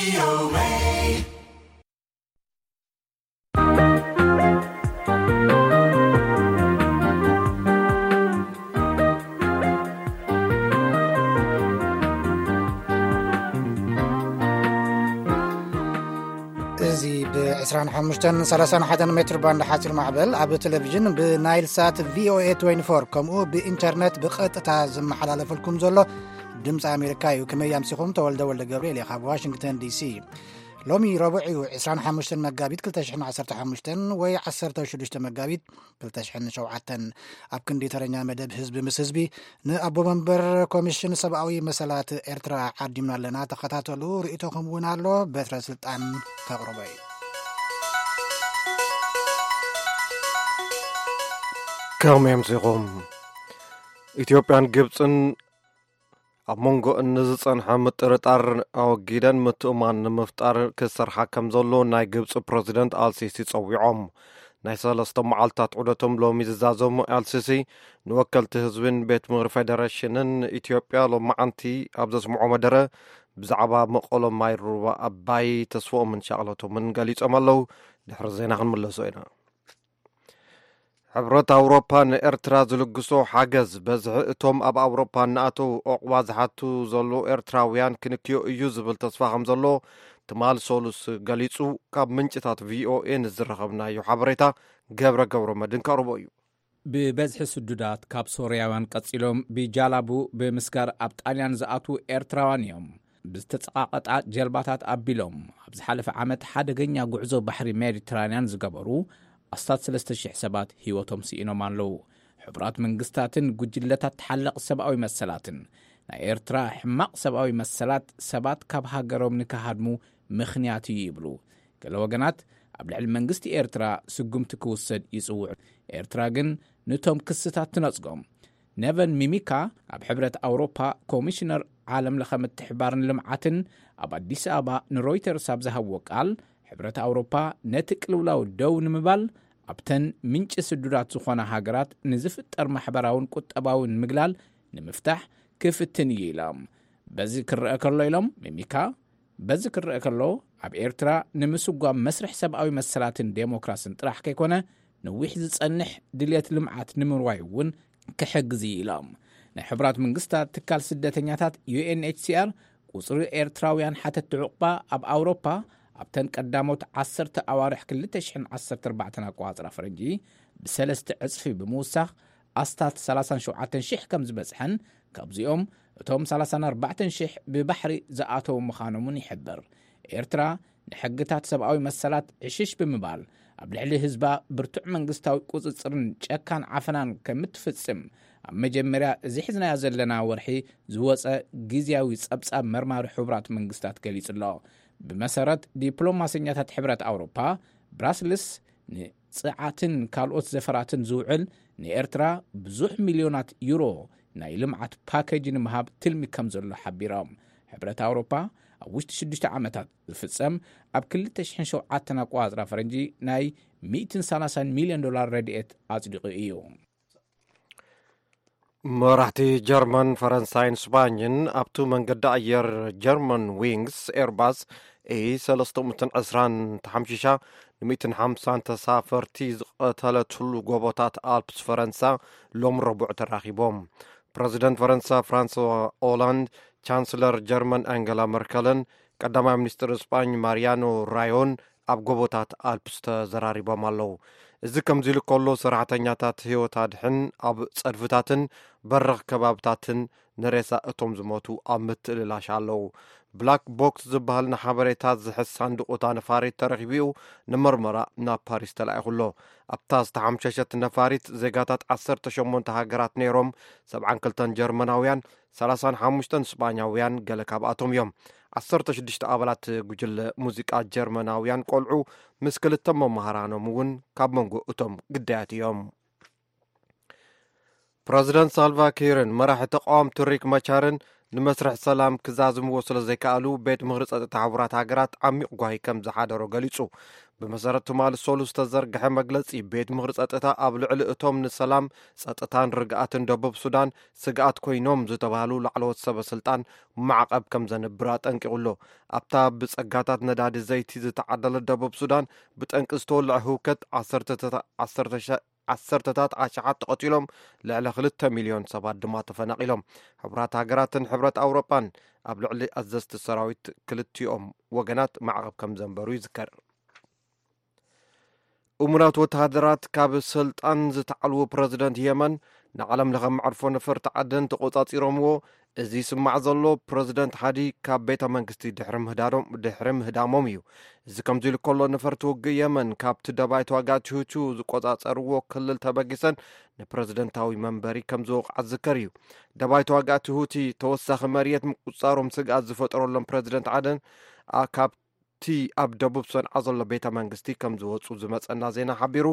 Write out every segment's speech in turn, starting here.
እዚ ብ25ን 31 ሜትር ባንድ ሓፂር ማዕበል ኣብ ቴሌቪዥን ብናይል ሳት ቪኦኤ 24 ከምኡ ብኢንተርኔት ብቐጥታ ዝመሓላለፈልኩም ዘሎ ድምፂ ኣሜሪካ እዩ። ከመይ ኣምሲኹም? ተወልደ ወልደ ገብርኤል እየ ካብ ዋሽንግተን ዲሲ። ሎሚ ረቡዕ እዩ፣ 25 መጋቢት 2015 ወይ 16 መጋቢት 2007። ኣብ ክንዲ ተረኛ መደብ ህዝቢ ምስ ህዝቢ፣ ንኣቦ መንበር ኮሚሽን ሰብኣዊ መሰላት ኤርትራ ዓዲምና ኣለና። ተኸታተሉ፣ ርእይቶኹም እውን ኣሎ፣ በትረ ስልጣን ተቕርቦ እዩ። ከመይ ኣምሲኹም? ኢትዮጵያን ግብፅን ኣብ መንጎ እንዝጸንሐ ምጥርጣር ኣወጊደን ምትእማን ንምፍጣር ክሰርሓ ከም ዘሎ ናይ ግብጺ ፕረዚደንት ኣልሲሲ ጸዊዖም። ናይ ሰለስተ መዓልታት ዑደቶም ሎሚ ዝዛዘሙ ኣልሲሲ ንወከልቲ ህዝብን ቤት ምኽሪ ፌደሬሽንን ኢትዮጵያ ሎማዓንቲ ኣብ ዘስምዖ መደረ ብዛዕባ መቐሎ ማይ ሩባ ኣባይ ተስፍኦምን ሻቕለቶምን ገሊጾም ኣለዉ። ድሕሪ ዜና ክንምለሶ ኢና። ሕብረት ኣውሮፓ ንኤርትራ ዝልግሶ ሓገዝ በዝሒ እቶም ኣብ ኣውሮፓ እናኣተው ዑቕባ ዝሓቱ ዘለዉ ኤርትራውያን ክንክዮ እዩ ዝብል ተስፋ ከም ዘሎ ትማል ሰሉስ ገሊጹ። ካብ ምንጭታት ቪኦኤ ንዝረኸብናዮ ሓበሬታ ገብረ ገብረ መድን ከቕርቦ እዩ። ብበዝሒ ስዱዳት ካብ ሶርያውያን ቀጺሎም ብጃላቡ ብምስጋር ኣብ ጣልያን ዝኣትዉ ኤርትራውያን እዮም። ብዝተጸቓቐጣ ጀልባታት ኣቢሎም ኣብ ዝሓለፈ ዓመት ሓደገኛ ጉዕዞ ባሕሪ ሜዲትራንያን ዝገበሩ ኣስታት 3,000 ሰባት ህይወቶም ስኢኖም ኣለዉ። ሕቡራት መንግስታትን ጉጅለታት ተሓለቕ ሰብኣዊ መሰላትን ናይ ኤርትራ ሕማቕ ሰብኣዊ መሰላት ሰባት ካብ ሃገሮም ንክሃድሙ ምኽንያት እዩ ይብሉ። ገለ ወገናት ኣብ ልዕሊ መንግስቲ ኤርትራ ስጉምቲ ክውሰድ ይጽውዑ። ኤርትራ ግን ንቶም ክስታት ትነጽጎም። ኔቨን ሚሚካ ኣብ ሕብረት ኣውሮፓ ኮሚሽነር ዓለም ለኸ ምትሕባርን ልምዓትን ኣብ ኣዲስ ኣበባ ንሮይተርስ ኣብ ዝሃብዎ ቃል፣ ሕብረት ኣውሮፓ ነቲ ቅልውላው ደው ንምባል ኣብተን ምንጪ ስዱዳት ዝኾና ሃገራት ንዝፍጠር ማሕበራውን ቁጠባውን ምግላል ንምፍታሕ ክፍትን እዩ ኢሎም። በዚ ክረአ ከሎ ኢሎም ሚሚካ፣ በዚ ክረአ ከሎ ኣብ ኤርትራ ንምስጓም መስርሕ ሰብኣዊ መሰላትን ዴሞክራስን ጥራሕ ከይኮነ ነዊሕ ዝጸንሕ ድልየት ልምዓት ንምርዋይ እውን ክሕግዝ እዩ ኢሎም። ናይ ሕቡራት መንግስታት ትካል ስደተኛታት ዩ ኤን ኤች ሲ ኣር ቁጽሪ ኤርትራውያን ሓተቲ ዕቑባ ኣብ ኣውሮፓ ኣብተን ቀዳሞት 10 ኣዋርሕ 2014 ኣቋጽራ ፈረንጂ ብሰለስተ ዕጽፊ ብምውሳኽ ኣስታት 37,000 ከም ዝበጽሐን ካብዚኦም እቶም 34,000 ብባሕሪ ዝኣተዉ ምዃኖምን ይሕብር። ኤርትራ ንሕግታት ሰብኣዊ መሰላት ዕሽሽ ብምባል ኣብ ልዕሊ ህዝባ ብርቱዕ መንግስታዊ ቁጽጽርን ጨካን ዓፈናን ከምትፍጽም ኣብ መጀመርያ እዚ ሒዝናዮ ዘለና ወርሒ ዝወጸ ግዝያዊ ጸብጻብ መርማሪ ሕቡራት መንግስታት ገሊጹ ኣሎ። ብመሰረት ዲፕሎማሰኛታት ሕብረት ኣውሮፓ፣ ብራስልስ ንጽዓትን ካልኦት ዘፈራትን ዝውዕል ንኤርትራ ብዙሕ ሚልዮናት ዩሮ ናይ ልምዓት ፓኬጅ ንምሃብ ትልሚ ከም ዘሎ ሓቢሮም። ሕብረት ኣውሮፓ ኣብ ውሽጢ ሽዱሽተ ዓመታት ዝፍጸም ኣብ 2007 ኣቋጽራ ፈረንጂ ናይ 130 ሚልዮን ዶላር ረድኤት ኣጽዲቑ እዩ። መራሕቲ ጀርመን፣ ፈረንሳይን ስፓኝን ኣብቲ መንገዲ ኣየር ጀርመን ዊንግስ ኤርባስ ኤ 320 ተሓምሺሻ ን150 ተሳፈርቲ ዝቐተለትሉ ጎቦታት ኣልፕስ ፈረንሳ ሎም ረቡዕ ተራኺቦም። ፕረዚደንት ፈረንሳ ፍራንስዋ ኦላንድ፣ ቻንስለር ጀርመን ኣንገላ መርከልን ቀዳማይ ሚኒስትር ስጳኝ ማሪያኖ ራዮን ኣብ ጎቦታት ኣልፕስ ተዘራሪቦም ኣለዉ። እዚ ከምዚ ኢሉ ከሎ፣ ሰራሕተኛታት ህይወት ኣድሕን ኣብ ጸድፍታትን በረኽ ከባብታትን ንሬሳ እቶም ዝሞቱ ኣብ ምትእልላሽ ኣለዉ። ብላክ ቦክስ ዝበሃል ንሓበሬታ ዝሕዝ ሳንዱቕ እታ ነፋሪት ተረኺቡ እዩ፣ ንመርመራ ናብ ፓሪስ ተላኢኹ ኣሎ። ኣብታ ዝተሓምሸሸት ነፋሪት ዜጋታት 18 ሃገራት ነይሮም፣ 72 ጀርመናውያን፣ 35 ስጳኛውያን ገለ ካብኣቶም እዮም። 16 ኣባላት ጉጅለ ሙዚቃ ጀርመናውያን ቆልዑ ምስ ክልተ መማህራኖም እውን ካብ መንጎ እቶም ግዳያት እዮም። ፕረዚደንት ሳልቫ ኪርን መራሒ ተቃወምቲ ሪክ መቻርን ንመስርሕ ሰላም ክዛዝምዎ ስለ ዘይከኣሉ፣ ቤት ምኽሪ ጸጥታ ሕቡራት ሃገራት ዓሚቕ ጓሂ ከም ዝሓደሮ ገሊጹ። ብመሰረት ትማሊ ሰሉስ ዝተዘርግሐ መግለጺ፣ ቤት ምኽሪ ጸጥታ ኣብ ልዕሊ እቶም ንሰላም፣ ጸጥታን ርግኣትን ደቡብ ሱዳን ስግኣት ኮይኖም ዝተባህሉ ላዕለዎት ሰበ ስልጣን ማዕቐብ ከም ዘንብር ኣጠንቂቑ ኣሎ። ኣብታ ብጸጋታት ነዳዲ ዘይቲ ዝተዓደለት ደቡብ ሱዳን፣ ብጠንቂ ዝተወልዐ ህውከት ዓሰርተታት ዓሰርተ ሸ-፣ ዓሰርተታት ኣሽሓት ተቐቲሎም፣ ልዕሊ ክልተ ሚልዮን ሰባት ድማ ተፈናቒሎም። ሕቡራት ሃገራትን ሕብረት ኣውሮጳን ኣብ ልዕሊ ኣዘዝቲ ሰራዊት ክልቲኦም ወገናት ማዕቐብ ከም ዘንበሩ ይዝከር። እሙናት ወተሃደራት ካብ ስልጣን ዝተዓልዉ ፕረዚደንት የመን፣ ንዓለም ለኸ መዕርፎ ነፈርቲ ዓደን ተቖጻጺሮምዎ። እዚ ይስማዕ ዘሎ፣ ፕረዚደንት ሓዲ ካብ ቤተ መንግስቲ ድሕሪ ምህዳዶም-፣ ድሕሪ ምህዳሞም እዩ። እዚ ከምዚ ኢሉ ከሎ፣ ነፈርቲ ውግእ የመን ካብቲ ደባይ ተዋጋእቲ ሁቲ ዝቆጻጸርዎ ክልል ተበጊሰን ንፕረዚደንታዊ መንበሪ ከም ዝወቕዓ ዝዝከር እዩ። ደባይ ተዋጋእቲ ሁቲ ተወሳኺ መሬት ምቁጽጻሮም ስግኣት ዝፈጠረሎም ፕረዚደንት ዓደን፣ ኣ-፣ ካብ እቲ ኣብ ደቡብ ሰንዓ ዘሎ ቤተ መንግስቲ ከም ዝወጹ ዝመጸና ዜና ሓቢሩ።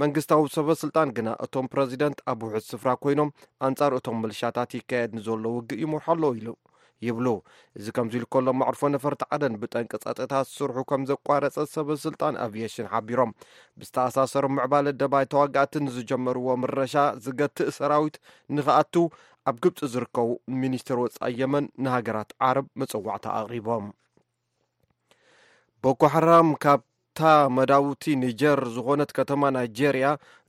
መንግስታዊ ሰበ ስልጣን ግና፣ እቶም ፕረዚደንት ኣብ ውሑድ ስፍራ ኮይኖም ኣንጻር እቶም ምልሻታት ይካየድ ንዘሎ ውግእ ይመርሑ ኣለዉ ኢሉ ይብሉ። እዚ ከምዚ ኢሉ ከሎ፣ መዕርፎ ነፈርቲ ዓደን ብጠንቂ ጸጥታ ስርሑ ከም ዘቋረጸ ሰበ ስልጣን ኣቪየሽን ሓቢሮም። ብዝተኣሳሰሩ ምዕባለ ደባይ ተዋጋእትን ዝጀመርዎ ምረሻ ዝገትእ ሰራዊት ንኽኣቱ ኣብ ግብጺ ዝርከቡ ሚኒስትር ወጻኢ የመን ንሃገራት ዓረብ መጸዋዕታ ኣቕሪቦም። ቦኮ ሓራም ካብታ መዳውቲ ኒጀር ዝኾነት ከተማ ናይጄርያ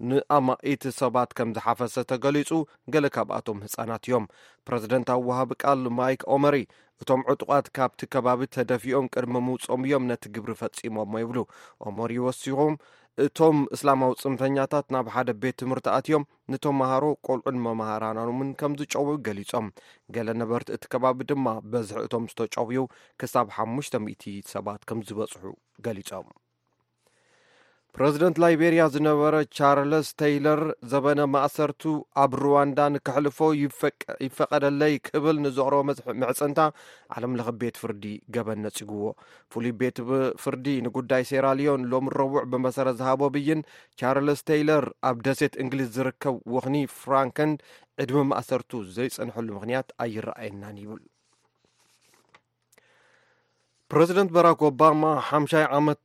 ንኣማኢት ሰባት ከም ዝሓፈሰ ተገሊጹ፣ ገለ ካብኣቶም ህጻናት እዮም። ፕረዚደንታዊ ወሃቢ ቃል ማይክ ኦመሪ፣ እቶም ዕጡቓት ካብቲ ከባቢ ተደፊኦም ቅድሚ ምውጾም እዮም ነቲ ግብሪ ፈጺሞሞ ይብሉ። ኦመሪ ወሲኾም፣ እቶም እስላማዊ ጽንፈኛታት ናብ ሓደ ቤት ትምህርቲ ኣትዮም፣ ንተማሃሮ፣ ቆልዑን መማህራኖምን ከም ዝጨውዩ ገሊጾም። ገለ ነበርቲ እቲ ከባቢ ድማ፣ በዝሒ እቶም ዝተጨውዩ ክሳብ ሓሙሽተ ሚእቲ ሰባት ከም ዝበጽሑ ገሊጾም። ፕረዚደንት ላይቤርያ ዝነበረ ቻርለስ ቴይለር፣ ዘበነ ማእሰርቱ ኣብ ሩዋንዳ ንከሕልፎ ይፈቀ-፣ ይፈቀደለይ ክብል ንዘቕረቦ መጽ-፣ ምዕጽንታ ዓለም ለኸ ቤት ፍርዲ ገበን ነጺግዎ። ፍሉይ ቤት ብ-፣ ፍርዲ ንጉዳይ ሴራልዮን ሎሚ ረቡዕ ብመሰረት ዝሃቦ ብይን፣ ቻርለስ ቴይለር ኣብ ደሴት እንግሊዝ ዝርከብ ወኽኒ ፍራንከንድ ዕድመ ማእሰርቱ ዘይጸንሐሉ ምኽንያት ኣይረኣየናን ይብል። ፕረዚደንት ባራክ ኦባማ ሓምሻይ ዓመት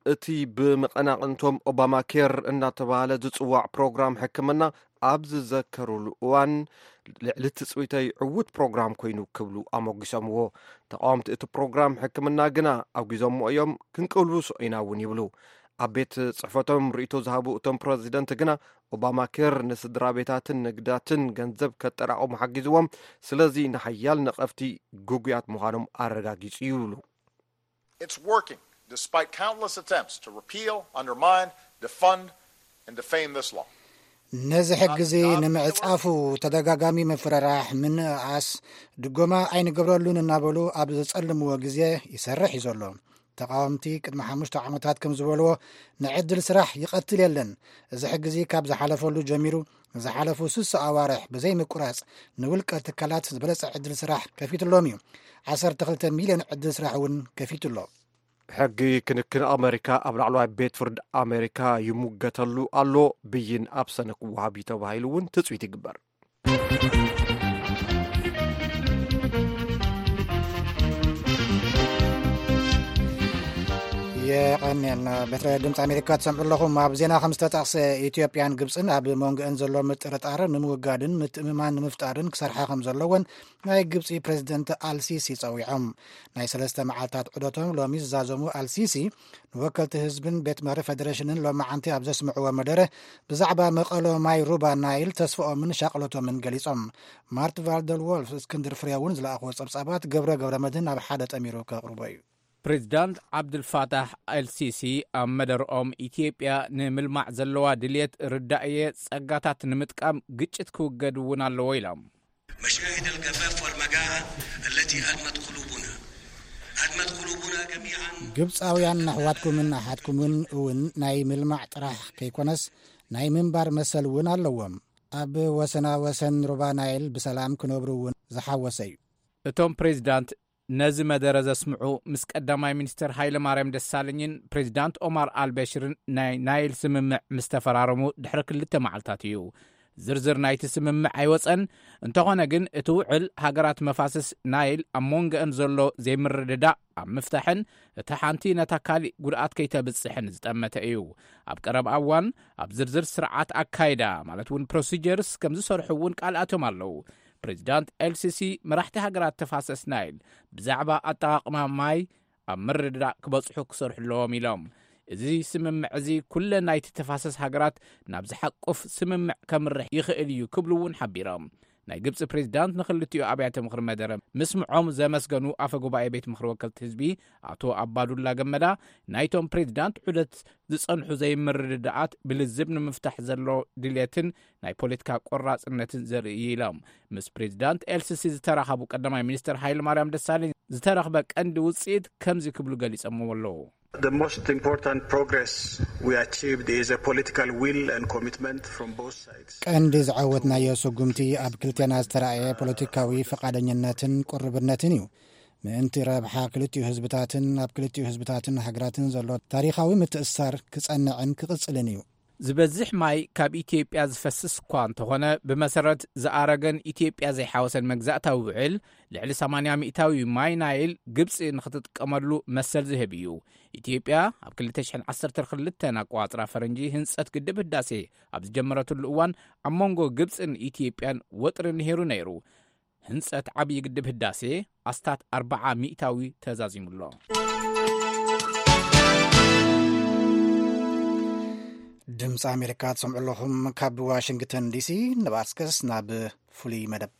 እቲ ብመቐናቕንቶም ኦባማ ኬር እናተባህለ ዝጽዋዕ ፕሮግራም ሕክምና ኣብ ዝዘከሩሉ እዋን፣ ልዕሊ ትጽቢተይ ዕዉት ፕሮግራም ኮይኑ ክብሉ ኣሞጊሶምዎ። ተቃወምቲ እቲ ፕሮግራም ሕክምና ግና ኣውጊዞምዎ እዮም፣ ክንቅልብሶ ኢና እውን ይብሉ። ኣብ ቤት ጽሕፈቶም ርእይቶ ዝሃቡ እቶም ፕረዚደንት ግና፣ ኦባማ ኬር ንስድራ ቤታትን ንግዳትን ገንዘብ ከጠራቕሙ ሓጊዝዎም፣ ስለዚ ንሓያል ነቐፍቲ ግጉያት ምዃኖም ኣረጋጊጹ ይብሉ። It's working, despite countless attempts to repeal, undermine, defund, and defame this law. ነዚ ሕጊ እዚ ንምዕጻፉ ተደጋጋሚ ምፍርራሕ፣ ምንእኣስ፣ ድጎማ ኣይንገብረሉን እናበሉ ኣብ ዘጸልምዎ ግዜ ይሰርሕ እዩ ዘሎ። ተቃወምቲ ቅድሚ ሓሙሽተ ዓመታት ከም ዝበልዎ፣ ንዕድል ስራሕ ይቐትል የለን። እዚ ሕጊ እዚ ካብ ዝሓለፈሉ ጀሚሩ፣ ንዝሓለፉ ስሳ ኣዋርሕ ብዘይ ምቁራጽ ንውልቀ ትካላት ዝበለጸ ዕድል ስራሕ ከፊትሎም እዩ። ዓሰርተ ክልተ ሚልዮን ዕድል ስራሕ እውን ከፊቱ ኣሎ። ሕጊ ክንክን ኣመሪካ ኣብ ላዕለዋይ ቤት ፍርዲ ኣመሪካ ይሙገተሉ ኣሎ። ብይን ኣብ ሰነ ክወሃብ እዩ ተባሂሉ እውን ትጽቢት ይግበር። የቐንየልና። ቤት ድምፂ ኣሜሪካ ትሰምዑ ኣለኹም። ኣብ ዜና ከም ዝተጠቕሰ፣ ኢትዮጵያን ግብፅን ኣብ መንጎአን ዘሎ ምጥርጣር ንምውጋድን ምትእምማን ንምፍጣርን ክሰርሓ ከም ዘለወን ናይ ግብፂ ፕሬዚደንት ኣልሲሲ ፀዊዖም። ናይ ሰለስተ መዓልታት ዑደቶም ሎሚ ዝዛዘሙ ኣልሲሲ፣ ንወከልቲ ህዝብን ቤት ምኽሪ ፌደሬሽንን ሎማዓንቲ ኣብ ዘስምዕዎ መደረ፣ ብዛዕባ መቐሎ ማይ ሩባ ናይል ተስፍኦምን ሻቕሎቶምን ገሊጾም። ማርት ቫልደል ዎልፍ፣ እስክንድር ፍሬውን ዝለኣኽዎ ጸብጻባት ገብረ ገብረ መድህን ኣብ ሓደ ጠሚሩ ከቕርቦ እዩ። ፕሬዚዳንት ዓብዱልፋታሕ ኣልሲሲ ኣብ መደርኦም፣ ኢትዮጵያ ንምልማዕ ዘለዋ ድልየት ርዳእየ፣ ጸጋታት ንምጥቃም ግጭት ክውገድ እውን ኣለዎ ኢሎም። مشاهد الجفاف والمجاعة التي أدمت قلوبنا، أدمت قلوبنا جميعا. ግብፃውያን ኣሕዋትኩምን ኣሓትኩምን እውን ናይ ምልማዕ ጥራሕ ከይኮነስ፣ ናይ ምንባር መሰል እውን ኣለዎም። ኣብ ወሰና ወሰን ሩባ ናይል ብሰላም ክነብሩ እውን ዝሓወሰ እዩ። እቶም ፕሬዚዳንት ነዚ መደረ ዘስምዑ፣ ምስ ቀዳማይ ሚኒስትር ሃይለ ማርያም ደሳለኝን ፕሬዚዳንት ኦማር ኣልበሽርን ናይ ናይል ስምምዕ ምስ ተፈራረሙ ድሕሪ ክልተ መዓልታት እዩ። ዝርዝር ናይቲ ስምምዕ ኣይወጸን። እንተኾነ ግን፣ እቲ ውዕል ሃገራት መፋስስ ናይል ኣብ መንጎአን ዘሎ ዘይምርድዳእ ኣብ ምፍታሕን እታ ሓንቲ ነታ ካሊእ ጉድኣት ከይተብጽሕን ዝጠመተ እዩ። ኣብ ቀረባ እዋን ኣብ ዝርዝር ስርዓት ኣካይዳ፣ ማለት እውን ፕሮሲጀርስ፣ ከም ዝሰርሑ እውን ቃል ኣትዮም ኣለዉ። ፕሬዚዳንት ኤልሲሲ መራሕቲ ሃገራት ተፋሰስ ናይል ብዛዕባ ኣጠቓቕማ ማይ ኣብ ምርድዳእ ክበጽሑ ክሰርሑ ኣለዎም ኢሎም። እዚ ስምምዕ እዚ ኩለን ናይቲ ተፋሰስ ሃገራት ናብ ዝሓቁፍ ስምምዕ ከምርሕ ይኽእል እዩ ክብሉ እውን ሓቢሮም። ናይ ግብፂ ፕሬዚዳንት ንክልቲኡ ኣብያተ ምኽሪ መደረ ምስምዖም ዘመስገኑ ኣፈ ጉባኤ ቤት ምኽሪ ወከልቲ ህዝቢ ኣቶ ኣባዱላ ገመዳ፣ ናይቶም ፕሬዚዳንት ዑደት ዝጸንሑ ዘይምርድዳኣት ብልዝብ ንምፍታሕ ዘሎ ድልየትን ናይ ፖለቲካ ቆራጽነትን ዘርኢ ኢሎም። ምስ ፕሬዚዳንት ኤልሲሲ ዝተራኸቡ ቀዳማይ ሚኒስትር ሃይለ ማርያም ደሳለኝ፣ ዝተረኽበ ቀንዲ ውፅኢት ከምዚ ክብሉ ገሊጸምዎ ኣለዉ። The most important progress we achieved is a political will and commitment from both sides. ቀንዲ ዝዓወትናዮ ስጉምቲ ኣብ ክልቴና ዝተራእየ ፖለቲካዊ ፈቓደኝነትን ቁርብነትን እዩ። ምእንቲ ረብሓ ክልቲኡ ህዝብታትን ኣብ ክልቲኡ ህዝብታትን ሃገራትን ዘሎ ታሪኻዊ ምትእስሳር ክጸንዕን ክቕጽልን እዩ። ዝበዝሕ ማይ ካብ ኢትዮጵያ ዝፈስስ እኳ እንተኾነ፣ ብመሰረት ዝኣረገን ኢትዮጵያ ዘይሓወሰን መግዛእታዊ ውዕል፣ ልዕሊ ሰማንያ ሚእታዊ ማይ ናይል ግብፂ ንኽትጥቀመሉ መሰል ዝህብ እዩ። ኢትዮጵያ ኣብ ክልተ ሽሕን ዓሰርተ ክልተን ኣቋጽራ ፈረንጂ ህንጸት ግድብ ህዳሴ ኣብ ዝጀመረትሉ እዋን፣ ኣብ መንጎ ግብፅን ኢትዮጵያን ወጥሪ ነይሩ ነይሩ። ህንጸት ዓብዪ ግድብ ህዳሴ ኣስታት ኣርብዓ ሚእታዊ ተዛዚሙሎ። ድምፂ ኣሜሪካ ትሰምዑ ኣለኹም ካብ ዋሽንግተን ዲሲ። ንባስከስ ናብ ፍሉይ መደብ።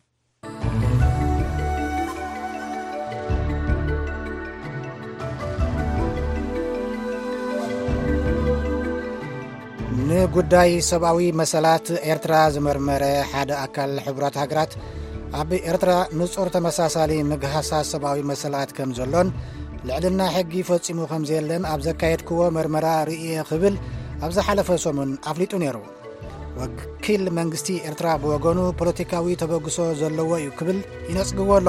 ንጉዳይ ሰብኣዊ መሰላት ኤርትራ ዝመርመረ ሓደ ኣካል ሕቡራት ሃገራት፣ ኣብ ኤርትራ ንጹር ተመሳሳሊ ምግሃሳት ሰብኣዊ መሰላት ከም ዘሎን ልዕልና ሕጊ ፈጺሙ ከም ዘየለን ኣብ ዘካየድክዎ መርመራ ርእየ ክብል ኣብ ዝሓለፈ ሰሙን ኣፍሊጡ ነይሩ። ወኪል መንግስቲ ኤርትራ ብወገኑ፣ ፖለቲካዊ ተበግሶ ዘለዎ እዩ ክብል ይነጽግዎ ኣሎ።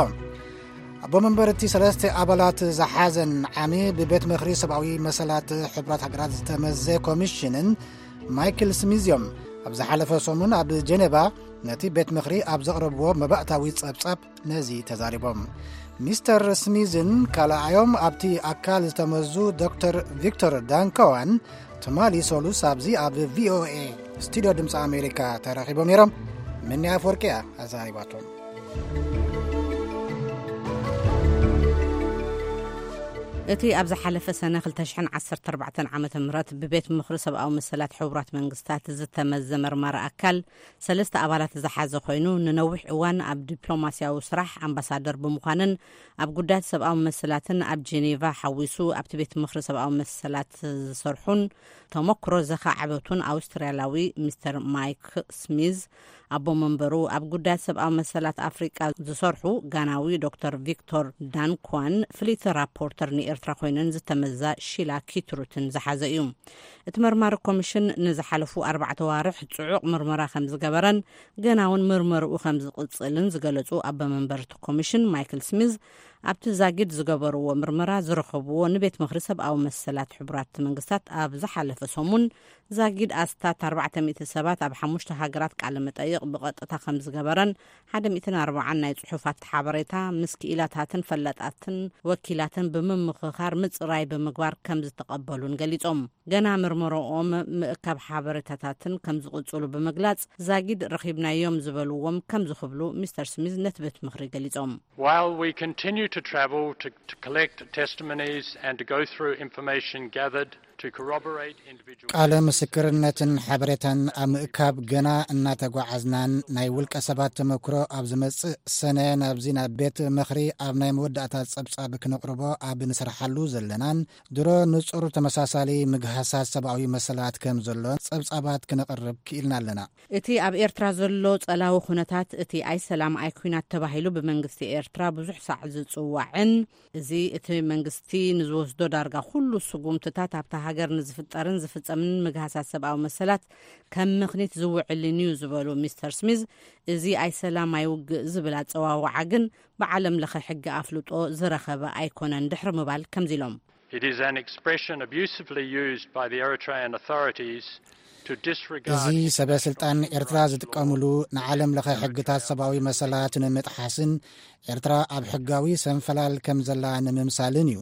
ኣቦ መንበር እቲ ሰለስተ ኣባላት ዝሓዘን ዓሚ ብቤት ምኽሪ ሰብኣዊ መሰላት ሕቡራት ሃገራት ዝተመዘ ኮሚሽንን ማይክል ስሚዝ እዮም። ኣብ ዝሓለፈ ሰሙን ኣብ ጀኔቫ ነቲ ቤት ምኽሪ ኣብ ዘቕረብዎ መባእታዊ ጸብጻብ ነዚ ተዛሪቦም። ሚስተር ስሚዝን ካልኣዮም ኣብቲ ኣካል ዝተመዙ ዶክተር ቪክቶር ዳንኮዋን ትማሊ ሰሉስ ኣብዚ ኣብ ቪኦኤ ስቱዲዮ ድምፂ ኣሜሪካ ተራኺቦም ነይሮም። ምኒ ኣፈወርቂ እያ ኣዘራሪባቶም። እቲ ኣብ ዝሓለፈ ሰነ ክልተ ሽሕን ዓሰርተ ኣርባዕተን ዓመተ ምህረት ብቤት ምኽሪ ሰብኣዊ መሰላት ሕቡራት መንግስታት ዝተመዘ መርማሪ ኣካል፣ ሰለስተ ኣባላት ዝሓዘ ኮይኑ፣ ንነዊሕ እዋን ኣብ ዲፕሎማስያዊ ስራሕ ኣምባሳደር ብምዃንን ኣብ ጉዳያት ሰብኣዊ መሰላትን ኣብ ጄኔቫ ሓዊሱ ኣብቲ ቤት ምኽሪ ሰብኣዊ መሰላት ዝሰርሑን ተመክሮ ዘኻዕበቱን ኣውስትራልያዊ ሚስተር ማይክ ስሚዝ፣ ኣቦ መንበሩ ኣብ ጉዳያት ሰብኣዊ መሰላት ኣፍሪቃ ዝሰርሑ ጋናዊ ዶክተር ቪክቶር ዳንኳን፣ ፍልይቲ ራፖርተር ንኤርትራ ኮይነን ዝተመዛ ሺላ ኪትሩትን ዝሓዘ እዩ። እቲ መርማሪ ኮሚሽን ንዝሓለፉ ኣርባዕተ ዋርሕ ጽዑቕ ምርመራ ከም ዝገበረን ገና እውን ምርመርኡ ከም ዝቕጽልን ዝገለጹ ኣቦ መንበር እቲ ኮሚሽን ማይክል ስሚዝ፣ ኣብቲ ዛጊድ ዝገበርዎ ምርመራ ዝረኸብዎ ንቤት ምኽሪ ሰብኣዊ መሰላት ሕቡራት መንግስታት ኣብ ዝሓለፈ ሰሙን ዛጊድ ኣስታት ኣርባዕተ ሚእቲ ሰባት ኣብ ሓሙሽተ ሃገራት ቃለ መጠይቕ ብቐጥታ ከም ዝገበረን፣ ሓደ ሚእትን ኣርባዓን ናይ ጽሑፋት ሓበሬታ ምስ ክኢላታትን ፈላጣትን ወኪላትን ብምምኽኻር ምጽራይ ብምግባር ከም ዝተቐበሉን ገሊጾም። ገና ምርመራኦም ምእካብ ሓበሬታታትን ከም ዝቕጽሉ ብምግላጽ፣ ዛጊድ ረኺብናዮም ዝበልዎም ከም ዝኽብሉ ሚስተር ስሚዝ ነቲ ቤት ምኽሪ ገሊጾም። While we continue to travel to, to collect testimonies and to go through information gathered to corroborate individual ቃለ ምስክርነትን ሓበሬታን ኣብ ምእካብ ገና እናተጓዓዝናን፣ ናይ ውልቀ ሰባት ተመክሮ ኣብ ዝመጽእ ሰነ ናብዚ ናብ ቤት ምኽሪ ኣብ ናይ መወዳእታ ጸብጻብ ክነቕርቦ ኣብ ንሰርሓሉ ዘለናን፣ ድሮ ንጹር ተመሳሳሊ ምግሃሳት ሰብኣዊ መሰላት ከም ዘሎን ጸብጻባት ክነቕርብ ክኢልና ኣለና። እቲ ኣብ ኤርትራ ዘሎ ጸላዊ ኩነታት፣ እቲ ኣይሰላም ኣይኩናት ተባሂሉ ብመንግስቲ ኤርትራ ብዙሕ ሳዕ ዝጽዋዕን፣ እዚ እቲ መንግስቲ ንዝወስዶ ዳርጋ ኩሉ ስጉምትታት ኣብታ ሃገር ንዝፍጠርን ዝፍጸምን ምግሃሳት ሰብኣዊ መሰላት ከም ምኽኒት ዝውዕልን እዩ ዝበሉ ሚስተር ስሚዝ፣ እዚ ኣይሰላም ኣይውግእ ዝብል ኣጸዋውዓ ግን ብዓለም ለኸ ሕጊ ኣፍልጦ ዝረኸበ ኣይኮነን ድሕሪ ምባል ከምዚ ኢሎም። It is an expression abusively used by the Eritrean authorities to disregard እዚ ሰበ ስልጣን ኤርትራ ዝጥቀምሉ ንዓለም ለኸ ሕግታት ሰብኣዊ መሰላት ንምጥሓስን ኤርትራ ኣብ ሕጋዊ ሰንፈላል ከም ዘላ ንምምሳልን እዩ።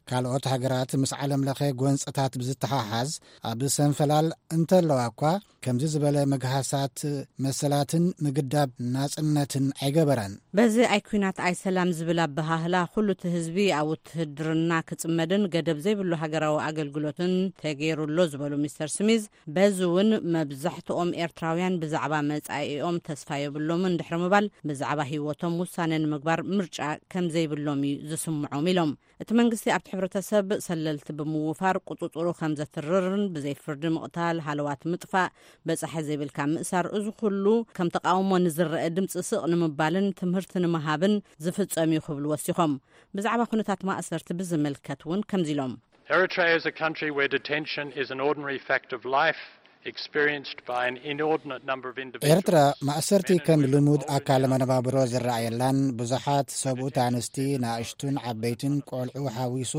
ካልኦት ሃገራት ምስ ዓለም ለኸ ጎንፅታት ብዝተሓሓዝ ኣብ ሰንፈላል እንተለዋ እኳ ከምዚ ዝበለ መግሃሳት መሰላትን ምግዳብ ናጽነትን ኣይገበራን። በዚ ኣይ ኩናት ኣይ ሰላም ዝብል ኣበሃህላ ኩሉ እቲ ህዝቢ ኣብ ውትህድርና ክጽመድን ገደብ ዘይብሉ ሃገራዊ ኣገልግሎትን ተገይሩ ኣሎ ዝበሉ ሚስተር ስሚዝ፣ በዚ እውን መብዛሕትኦም ኤርትራውያን ብዛዕባ መጻኢኦም ተስፋ የብሎምን ድሕሪ ምባል ብዛዕባ ህይወቶም ውሳነ ንምግባር ምርጫ ከም ዘይብሎም እዩ ዝስምዖም ኢሎም። እቲ መንግስቲ ኣብቲ ሕብረተሰብ ሰለልቲ ብምውፋር ቁጽጽሩ ከም ዘትርርን ብዘይ ፍርዲ ምቕታል፣ ሃለዋት ምጥፋእ፣ በጻሒ ዘይብልካ ምእሳር፣ እዚ ኩሉ ከም ተቃውሞ ንዝረአ ድምጺ ስቕ ንምባልን ትምህርቲ ንምሃብን ዝፍጸም እዩ ክብሉ ወሲኾም። ብዛዕባ ኩነታት ማእሰርቲ ብዝምልከት እውን ከምዚ ኢሎም። Eritrea is a country where detention is an ordinary fact of life, experienced by an inordinate number of individuals. ኤርትራ ማእሰርቲ ከም ልሙድ ኣካል መነባብሮ ዝረኣየላን ብዙሓት ሰብኡት ኣንስቲ ንኣሽቱን ዓበይትን ቆልዑ ሓዊሱ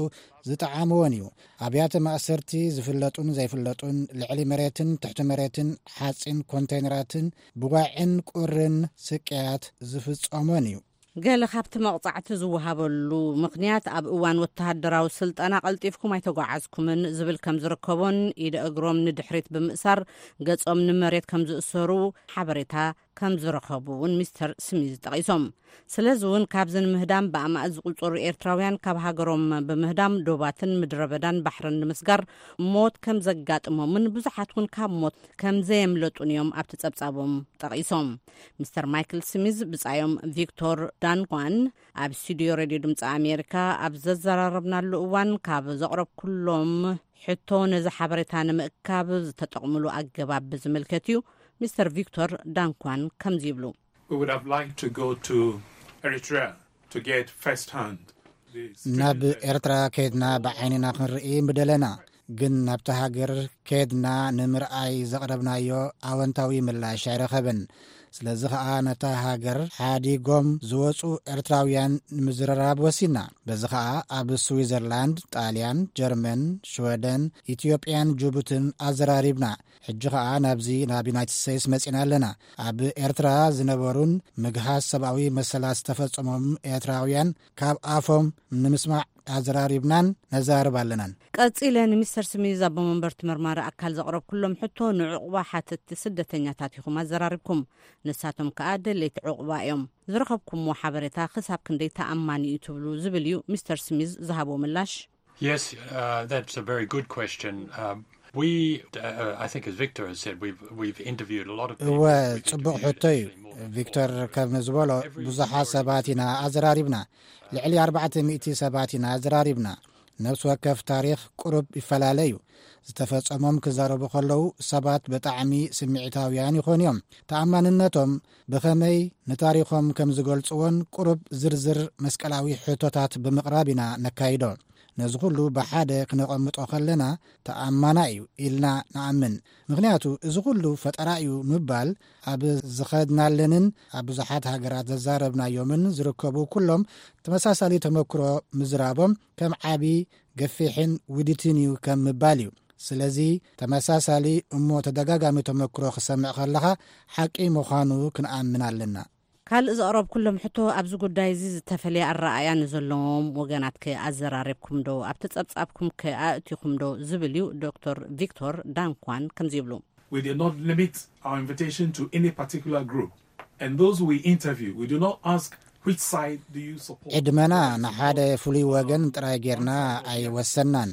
ዝጠዓምዎን እዩ። ኣብያተ ማእሰርቲ ዝፍለጡን ዘይፍለጡን ልዕሊ መሬትን ትሕቲ መሬትን ሓፂን ኮንቴይነራትን ብጓዕን ቁርን ስቅያት ዝፍጸሞን እዩ። ገለ ካብቲ መቕጻዕቲ ዝወሃበሉ ምኽንያት ኣብ እዋን ወተሃደራዊ ስልጠና ቀልጢፍኩም ኣይተጓዓዝኩምን ዝብል ከም ዝርከቦን ኢደ እግሮም ንድሕሪት ብምእሳር ገጾም ንመሬት ከም ዝእሰሩ ሓበሬታ ከም ዝረኸቡ እውን ሚስተር ስሚዝ ጠቒሶም። ስለዚ እውን ካብዚ ንምህዳም ብኣማእት ዝቑጸሩ ኤርትራውያን ካብ ሃገሮም ብምህዳም ዶባትን ምድረ በዳን ባሕርን ንምስጋር ሞት ከም ዘጋጥሞምን ብዙሓት እውን ካብ ሞት ከም ዘየምለጡን እዮም ኣብቲ ጸብጻቦም ጠቒሶም። ሚስተር ማይክል ስሚዝ ብጻዮም ቪክቶር ዳንኳን ኣብ ስቱዲዮ ሬድዮ ድምፂ ኣሜሪካ ኣብ ዘዘራረብናሉ እዋን ካብ ዘቕረብኩሎም ሕቶ ነዚ ሓበሬታ ንምእካብ ዝተጠቕምሉ ኣገባብ ብዝምልከት እዩ። ሚስተር ቪክቶር ዳንኳን ከምዚ ይብሉ። We would have liked to go to Eritrea to get first hand. ናብ ኤርትራ ከድና ብዓይንና ክንርኢ ምደለና፣ ግን ናብቲ ሃገር ከድና ንምርኣይ ዘቕረብናዮ ኣወንታዊ ምላሽ ኣይረኸብን። ስለዚ ኸኣ ነታ ሃገር ሓዲጎም ዝወጹ ኤርትራውያን ንምዝርራብ ወሲና። በዚ ኸኣ ኣብ ስዊዘርላንድ፣ ጣልያን፣ ጀርመን፣ ሽወደን፣ ኢትዮጵያን ጅቡትን ኣዘራሪብና። ሕጂ ኸኣ ናብዚ ናብ ዩናይትድ ስቴትስ መጺና ኣለና። ኣብ ኤርትራ ዝነበሩን ምግሃስ ሰብኣዊ መሰላት ዝተፈጸሞም ኤርትራውያን ካብ ኣፎም ንምስማዕ ኣዘራሪብናን ነዛርብ ኣለናን። ቀጺለ ንሚስተር ስሚዝ ኣቦ መንበርቲ መርማሪ ኣካል ዘቕረብኩሎም ሕቶ ንዕቑባ ሓተትቲ ስደተኛታት ኢኹም ኣዘራሪብኩም። ንሳቶም ከኣ ደለይቲ ዕቑባ እዮም። ዝረኸብኩምዎ ሓበሬታ ክሳብ ክንደይ ተኣማኒ እዩ ትብሉ ዝብል እዩ ሚስተር ስሚዝ ዝሃቦ ምላሽ። Yes, uh, that's a very good question. Um, we, uh, I think, as Victor has said, we've we've interviewed a lot of people. እወ ጽቡቕ ሕቶ እዩ። ቪክቶር ከም ዝበሎ ብዙሓት ሰባት ኢና ኣዘራሪብና። ልዕሊ ኣርባዕተ ሚእቲ ሰባት ኢና ኣዘራሪብና። ነፍሲ ወከፍ ታሪኽ ቁሩብ ይፈላለ እዩ። ዝተፈጸሞም ክዛረቡ ከለዉ ሰባት ብጣዕሚ ስምዒታውያን ይኾኑ እዮም። ተኣማንነቶም ብኸመይ ንታሪኾም ከም ዝገልጽዎን ቁሩብ ዝርዝር መስቀላዊ ሕቶታት ብምቕራብ ኢና ነካይዶ። ነዚ ኩሉ ብሓደ ክነቐምጦ ከለና ተኣማና እዩ ኢልና ንኣምን። ምኽንያቱ እዚ ኩሉ ፈጠራ እዩ ምባል ኣብ ዝኸድናለንን ኣብ ብዙሓት ሃገራት ዘዛረብናዮምን ዝርከቡ ኩሎም ተመሳሳሊ ተመክሮ ምዝራቦም ከም ዓቢ ገፊሕን ውዲትን እዩ ከም ምባል እዩ። ስለዚ ተመሳሳሊ እሞ ተደጋጋሚ ተመክሮ ክሰምዕ ከለኻ ሓቂ ምዃኑ ክንኣምን ኣለና። ካልእ ዘቕረብኩሎም ሕቶ ኣብዚ ጉዳይ እዚ ዝተፈለየ ኣረኣእያ ንዘለዎም ወገናት ከ ኣዘራሪብኩም ዶ ኣብቲ ጸብጻብኩም ከ ኣእቲኹም ዶ ዝብል እዩ። ዶክተር ቪክቶር ዳንኳን ከምዚ ይብሉ። We did not limit our invitation to any particular group. And those we interview, we do not ask which side do you support. ዕድመና ንሓደ ፍሉይ ወገን ጥራይ ጌርና ኣይወሰናን።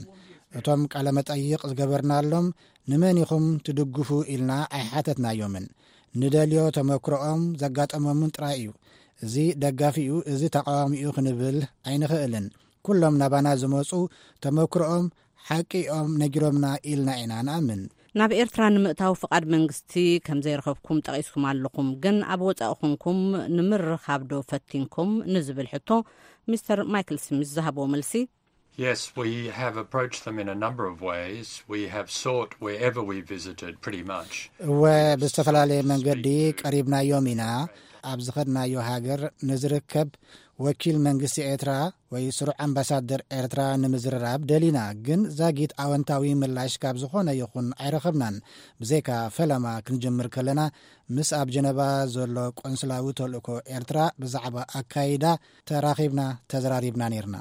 እቶም ቃለ መጠይቕ ዝገበርናሎም ንመን ኢኹም ትድግፉ ኢልና ኣይሓተትናዮምን። ንደልዮ ተመክሮኦም ዘጋጠሞምን ጥራይ እዩ። እዚ ደጋፊኡ፣ እዚ ተቃዋሚኡ ክንብል ኣይንኽእልን። ኩሎም ናባና ዝመጹ ተመክሮኦም ሓቂ እዮም ነጊሮምና ኢልና ኢና ንኣምን። ናብ ኤርትራ ንምእታው ፍቓድ መንግስቲ ከም ዘይረኸብኩም ጠቒስኩም ኣለኹም። ግን ኣብ ወጻኢ ኹንኩም ንምርኻብ ዶ ፈቲንኩም ንዝብል ሕቶ ሚስተር ማይክል ስሚዝ ዝሃብዎ መልሲ። Yes, we have approached them in a number of ways. We have sought wherever we visited, pretty much. እወ፣ ብዝተፈላለየ መንገዲ ቀሪብናዮም ኢና። ኣብ ዝኸድናዮ ሃገር ንዝርከብ ወኪል መንግስቲ ኤርትራ ወይ ስሩዕ ኣምባሳደር ኤርትራ ንምዝርራብ ደሊና፣ ግን ዛጊት ኣወንታዊ ምላሽ ካብ ዝኾነ ይኹን ኣይረኸብናን። ብዘይካ ፈለማ ክንጅምር ከለና፣ ምስ ኣብ ጀነቫ ዘሎ ቆንስላዊ ተልእኮ ኤርትራ ብዛዕባ ኣካይዳ ተራኺብና፣ ተዘራሪብና ነይርና።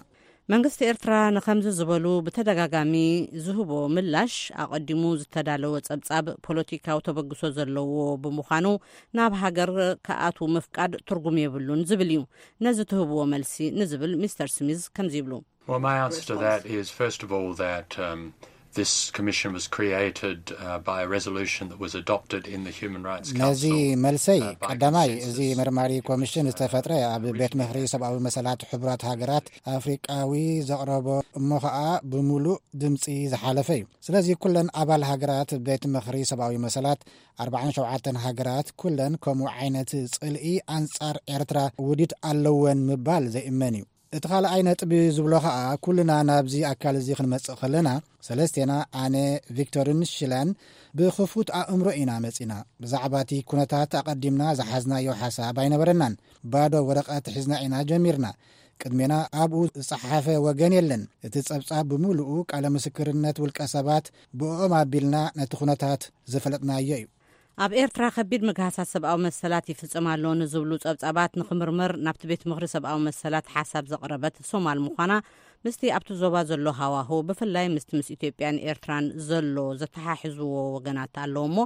መንግስቲ ኤርትራ ንኸምዚ ዝበሉ ብተደጋጋሚ ዝህቦ ምላሽ፣ ኣቐዲሙ ዝተዳለወ ጸብጻብ ፖለቲካዊ ተበግሶ ዘለዎ ብምዃኑ፣ ናብ ሃገር ክኣትዉ ምፍቃድ ትርጉም የብሉን ዝብል እዩ። ነዚ ትህብዎ መልሲ ንዝብል ሚስተር ስሚዝ ከምዚ ይብሉ። Well, my answer to that is, first of all, that um, this commission was created uh, by a resolution that was adopted in the Human Rights ነዚ Council. መልሰይ፣ uh, by ቀዳማይ፣ consensus. እዚ መርማሪ ኮሚሽን ዝተፈጥረ ኣብ ቤት ምኽሪ ሰብኣዊ መሰላት ሕቡራት ሃገራት ኣፍሪቃዊ ዘቕረቦ፣ እሞ ኸኣ ብምሉእ ድምጺ ዝሓለፈ እዩ። ስለዚ ኩለን ኣባል ሃገራት ቤት ምኽሪ ሰብኣዊ መሰላት፣ ኣርባዓን ሸውዓተን ሃገራት፣ ኩለን ከምኡ ዓይነት ጽልኢ ኣንጻር ኤርትራ ውዲት ኣለወን ምባል ዘይእመን እዩ። እቲ ካልኣይ ነጥቢ ዝብሎ ኸኣ፣ ኩልና ናብዚ ኣካል እዚ ክንመጽእ ከለና፣ ሰለስቴና፣ ኣነ፣ ቪክቶርን ሽላን፣ ብኽፉት ኣእምሮ ኢና መጺና። ብዛዕባ እቲ ኩነታት ኣቐዲምና ዝሓዝናዮ ሓሳብ ኣይነበረናን። ባዶ ወረቐት ሒዝና ኢና ጀሚርና። ቅድሜና ኣብኡ ዝጸሓፈ ወገን የለን። እቲ ጸብጻብ ብምሉኡ ቃለ ምስክርነት ውልቀ ሰባት፣ ብእኦም ኣቢልና ነቲ ኩነታት ዝፈለጥናዮ እዩ። ኣብ ኤርትራ ከቢድ ምግሃሳት ሰብኣዊ መሰላት ይፍጸም ኣሎ ንዝብሉ ጸብጻባት ንኽምርመር ናብቲ ቤት ምኽሪ ሰብኣዊ መሰላት ሓሳብ ዘቕረበት ሶማል ምዃና፣ ምስቲ ኣብቲ ዞባ ዘሎ ሃዋሁ፣ ብፍላይ ምስቲ ምስ ኢትዮጵያን ኤርትራን ዘሎ ዘተሓሕዝዎ ወገናት ኣለዎ እሞ፣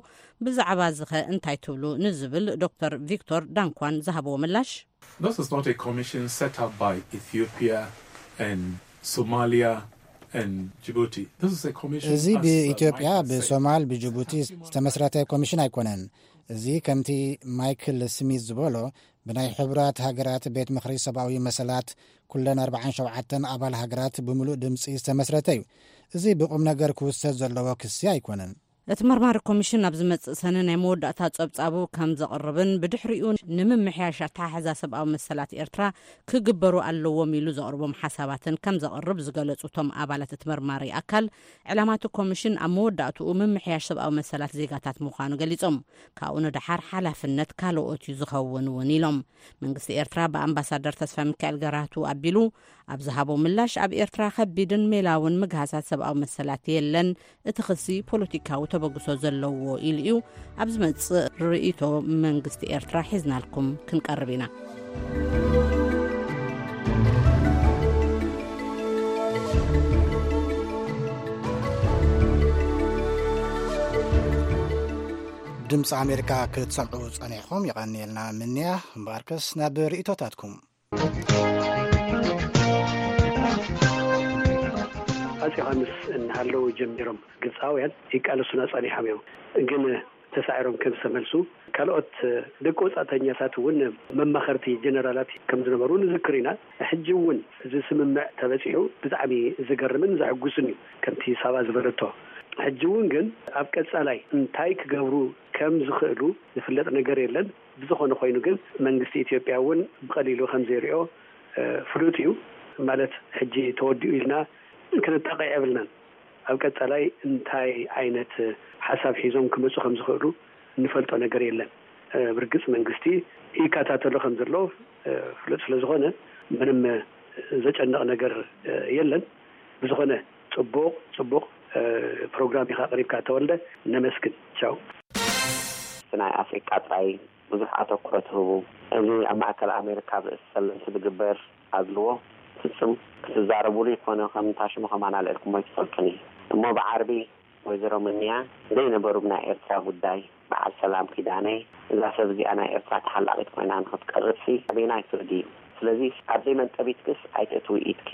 ብዛዕባ እዚ ኸ እንታይ ትብሉ ንዝብል ዶክተር ቪክቶር ዳንኳን ዝሃብዎ ምላሽ፣ This is not a commission set up by Ethiopia and Somalia and Djibouti. This is a commission እዚ as, uh, ብኢትዮጵያ፣ Michael said. ብሶማል፣ ብጅቡቲ ዝተመስረተ ኮሚሽን ኣይኮነን። እዚ ከምቲ ማይክል ስሚዝ ዝበሎ፣ ብናይ ሕቡራት ሃገራት ቤት ምኽሪ ሰብኣዊ መሰላት ኩለን ኣርባዓን ሸውዓተን ኣባል ሃገራት ብምሉእ ድምጺ ዝተመስረተ እዩ። እዚ ብቁም ነገር ክውሰድ ዘለዎ ክሲ ኣይኮነን። እቲ መርማሪ ኮሚሽን ኣብ ዝመጽእ ሰነ ናይ መወዳእታ ጸብጻቡ ከም ዘቕርብን ብድሕሪኡ ንምምሕያሽ ኣተሓሕዛ ሰብኣዊ መሰላት ኤርትራ ክግበሩ ኣለዎም ኢሉ ዘቕርቦም ሓሳባትን ከም ዘቕርብ ዝገለጹ እቶም ኣባላት እቲ መርማሪ ኣካል፣ ዕላማ እቲ ኮሚሽን ኣብ መወዳእትኡ ምምሕያሽ ሰብኣዊ መሰላት ዜጋታት ምዃኑ ገሊጾም፣ ካብኡ ንደሓር ሓላፍነት ካልኦት እዩ ዝኸውን እውን ኢሎም። መንግስቲ ኤርትራ ብኣምባሳደር ተስፋ ሚካኤል ገራህቱ ኣቢሉ ኣብ ዝሃቦ ምላሽ፣ ኣብ ኤርትራ ከቢድን ሜላውን ምግሃሳት ሰብኣዊ መሰላት የለን፣ እቲ ክሲ ፖለቲካዊ ተበግሶ ዘለዎ ኢሉ እዩ። ኣብ ዝመጽእ ርእይቶ መንግስቲ ኤርትራ ሒዝናልኩም ክንቀርብ ኢና። ድምፂ ኣሜሪካ ክትሰምዑ ጸኒሕኩም፣ የቐንየልና ምንያ። እምበኣርከስ ናብ ርእይቶታትኩም። ኣጼ ዮሃንስ እናሃለዉ ጀሚሮም ግብፃውያን ይቃለሱና ጸኒሖም እዮም። ግን ተሳዒሮም ከም ዝተመልሱ፣ ካልኦት ደቂ ወጻእተኛታት እውን መማኸርቲ ጀነራላት ከም ዝነበሩ ንዝክር ኢና። ሕጂ እውን እዚ ስምምዕ ተበጺሑ ብጣዕሚ ዝገርምን ዘሕጉስን እዩ፣ ከምቲ ሳባ ዝበለቶ። ሕጂ እውን ግን ኣብ ቀጻላይ እንታይ ክገብሩ ከም ዝኽእሉ ዝፍለጥ ነገር የለን። ብዝኾነ ኮይኑ ግን መንግስቲ ኢትዮጵያ እውን ብቐሊሉ ከም ዘይሪኦ፣ እ፣ ፍሉጥ እዩ። ማለት ሕጂ ተወዲኡ ኢልና ክንጣቐዕ የብልናን። ኣብ ቀጻላይ እንታይ ዓይነት ሓሳብ ሒዞም ክመጹ ከም ዝኽእሉ እንፈልጦ ነገር የለን። እ፣ ብርግጽ መንግስቲ ይከታተሎ ከም ዘሎ፣ እ፣ ፍሉጥ ስለ ዝኾነ ምንም፣ እ፣ ዘጨንቕ ነገር፣ እ፣ የለን። ብዝኾነ ጽቡቕ፣ ጽቡቕ፣ እ፣ ፕሮግራም ኢኻ ኣቕሪብካ ተወልደ። ነመስግን። ቻው። ናይ ኣፍሪቃ ጥራይ ብዙሕ ኣተኩሮ ትህቡ። እዚ ኣብ ማእከል ኣሜሪካ ኣብ ርእሲ ሰለምቲ ዝግበር ኣድልዎ ፍጹም ክትዛረቡሉ ይኮነ ከም እንታ ሽሙ ከማን ኣልዕልኩሞ ኣይትፈልጡን እዩ። እሞ ብዓርቢ ወይዘሮ ምንያ ዘይነበሩ ብናይ ኤርትራ ጉዳይ በዓል ሰላም ኪዳነ፣ እዛ ሰብ እዚኣ ናይ ኤርትራ ተሓላቒት ኮይና ንኽትቀርብሲ ኣበየናይ ፍርዲ እዩ? ስለዚ ኣብ ዘይመንጠቢትክስ ኣይተእትዊ ኢድኪ።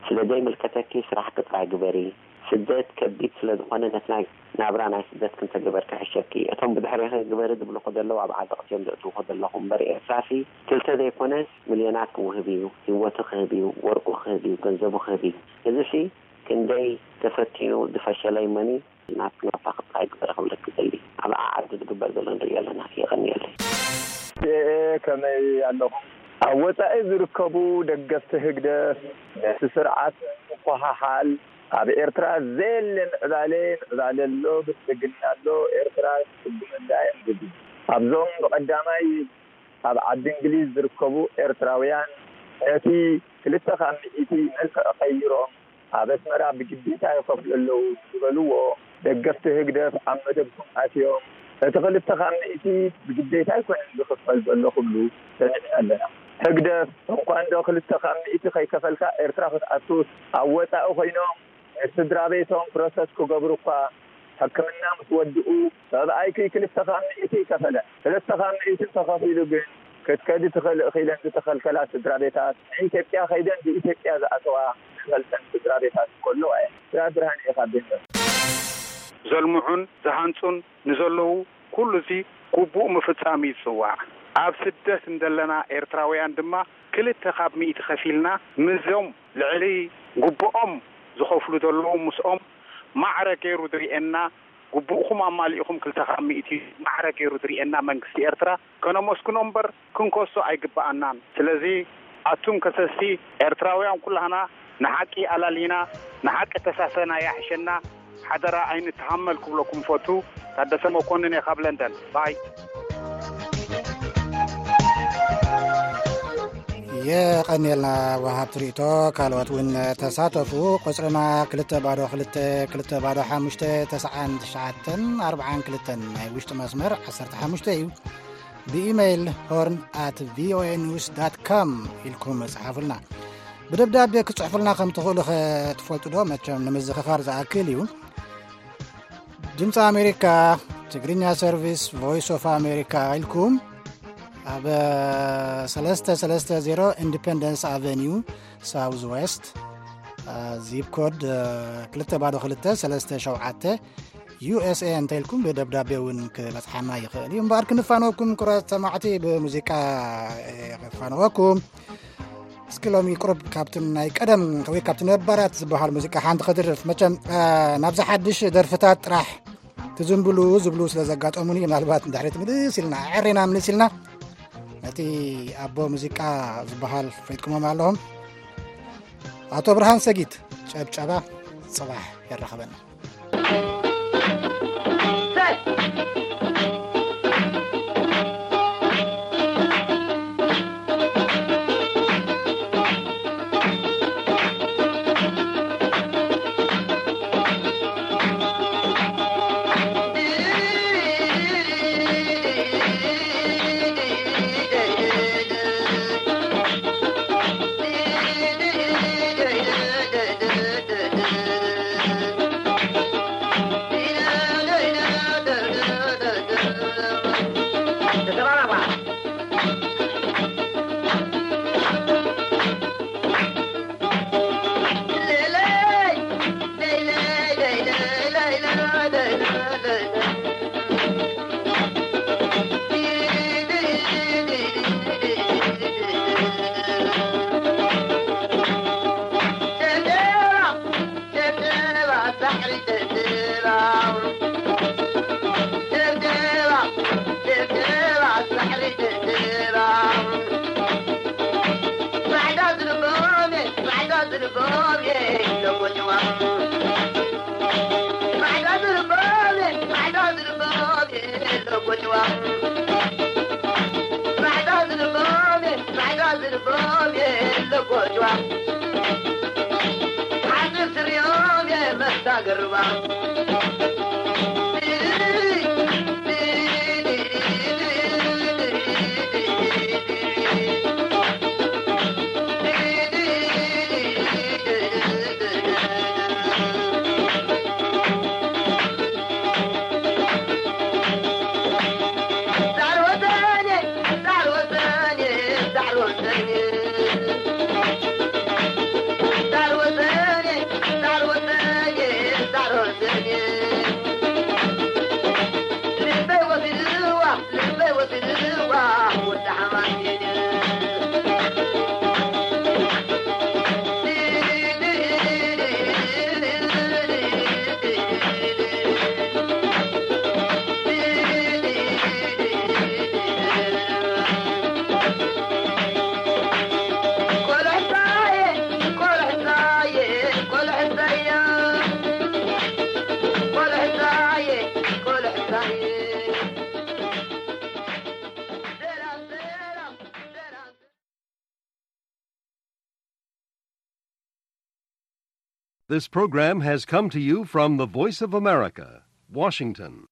ስለ ዘይምልከተኪ ስራሕኪ ጥራይ ግበሪ። ስደት ከቢድ ስለ ዝኾነ ነቲ ናይ ናብራ ናይ ስደት ክንተግበር ክሕሸኪ። እቶም ብድሕሬኺ ግበሪ ዝብልኹ ዘለዉ ኣብ ዓዘቕቲ እዮም ዘእትውኹ ዘለኹ እምበር ኤርትራሲ ክልተ ዘይኮነስ ሚልዮናት ክውህብ እዩ። ህይወቱ ክህብ እዩ፣ ወርቁ ክህብ እዩ፣ ገንዘቡ ክህብ እዩ። እዚሲ ክንደይ ተፈቲኑ ዝፈሸለ እመኒ። ናት ናታ ክብላ ይግበር ክብለኪ ደሊ። ኣብ ዓዲ ዝግበር ዘሎ ንሪኦ ኣለና። የቐንየለይ። ከመይ ኣለኹም? ኣብ ወጻኢ ዝርከቡ ደገፍቲ ህግደፍ ነቲ ስርዓት ምኩሕሓል፣ ኣብ ኤርትራ ዘየለ ምዕባለ፣ ምዕባለ ኣሎ፣ ብልጽግና ኣሎ፣ ኤርትራ ትስጉመላ እዮም ዝብሉ። ኣብዞም ብቐዳማይ ኣብ ዓዲ እንግሊዝ ዝርከቡ ኤርትራውያን ነቲ ክልተ ካብ ሚእቲ መልክዕ ቀይሮም ኣብ ኣስመራ ብግዴታ ይኸፍሉ ኣለዉ ዝበልዎ ደገፍቲ ህግደፍ ኣብ መደብኩም ኣትዮም፣ እቲ ክልተ ካብ ሚእቲ ብግዴታ ኣይኮነን ዝኽፈል ዘሎ ክብሉ ሰሚዕና ኣለና። ህግደፍ እንኳንዶ ክልተ ካብ ሚእቲ ከይከፈልካ ኤርትራ ክትኣቱስ ኣብ ወጻኢ ኮይኖም ንስድራ ቤቶም ፕሮሰስ ክገብሩ እኳ ሕክምና ምስ ወድኡ ሰብኣይኪ ክልተ ካብ ሚእቲ ይከፈለ። ክልተ ካብ ሚእቲ እንተኸፊሉ ግን ክትከዲ ትኽእል ኢኺ ኢለን ዝተኸልከላ ስድራ ቤታት ንኢትዮጵያ ከይደን ብኢትዮጵያ ዝኣተዋ ዝፈልጠን ስድራ ቤታት እኮ ኣለዋ እየን። ስራ ብርሃን ኢኻ ቤንበር። ዘልምዑን ዝሃንጹን ንዘለዉ ኩሉ እዚ ግቡእ ምፍጻም እዩ ዝጽዋዕ። ኣብ ስደት እንደለና ኤርትራውያን ድማ ክልተ ካብ ሚእቲ ከፊልና ምስዞም ልዕሊ ግቡኦም ዝኸፍሉ ዘለዉ ምስኦም ማዕረ ገይሩ ዝርእየና ግቡእኹም ኣማሊእኹም ክልተ ካብ ሚእቲ ማዕረ ገይሩ ዝርእየና መንግስቲ ኤርትራ ከነመስግኖ እምበር ክንከሶ ኣይግብኣናን። ስለዚ ኣቱም ከሰስቲ ኤርትራውያን ኩላህና ንሓቂ ኣላሊና ንሓቂ ተሳሰና ያሕሸና ሓደራ ኣይንተሃመል ክብለኩም ፈቱ። ታደሰ መኮንን እየ ካብ ለንደን። ባይ የቐንየልና ወሃብቲ ርእቶ። ካልኦት እውን ተሳተፉ። ቁፅርና ክልተ ባዶ ክልተ ክልተ ባዶ ሓሙሽተ ተስዓን ትሽዓተን ኣርብዓን ክልተን ናይ ውሽጢ መስመር ዓሰርተ ሓሙሽተ እዩ። ብኢመይል ሆርን ኣት ቪኦኤ ኒውስ ዳት ካም ኢልኩም ጸሓፉልና። ብደብዳቤ ክትጽሕፉልና ከም ትኽእሉ ከ ትፈልጡ ዶ? መቸም ንምዝኽኻር ዝኣክል እዩ። ድምፂ ኣሜሪካ ትግርኛ ሰርቪስ ቮይስ ኦፍ ኣሜሪካ ኢልኩም ኣብ ሰለስተ ሰለስተ ዜሮ ኢንዲፐንደንስ ኣቨኒዩ ሳውዝ ዌስት ዚፕ ኮድ ክልተ ባዶ ክልተ ሰለስተ ሸውዓተ ዩ ኤስ ኤ እንተ ኢልኩም ብደብዳቤ እውን ክበፅሓና ይኽእል እዩ። እምበኣር ክንፋነወኩም ክቡራት ሰማዕቲ ብሙዚቃ ክፋነወኩም። እስኪ ሎሚ ቁሩብ ካብትን ናይ ቀደም ወይ ካብቲ ነባራት ዝበሃል ሙዚቃ ሓንቲ ከድርፍ። መቸም ናብዚ ሓድሽ ደርፍታት ጥራሕ ትዝንብሉ ዝብሉ ስለ ዘጋጠሙኒ ምናልባት ንድሕሪት ምልስ ኢልና ኣዕሪና ምልስ ኢልና ነቲ ኣቦ ሙዚቃ ዝበሃል ፈይጥኩሞም ኣለኹም። ኣቶ ብርሃን ሰጊት ጨብጨባ ጽባሕ የራኸበና። This program has come to you from the Voice of America, Washington.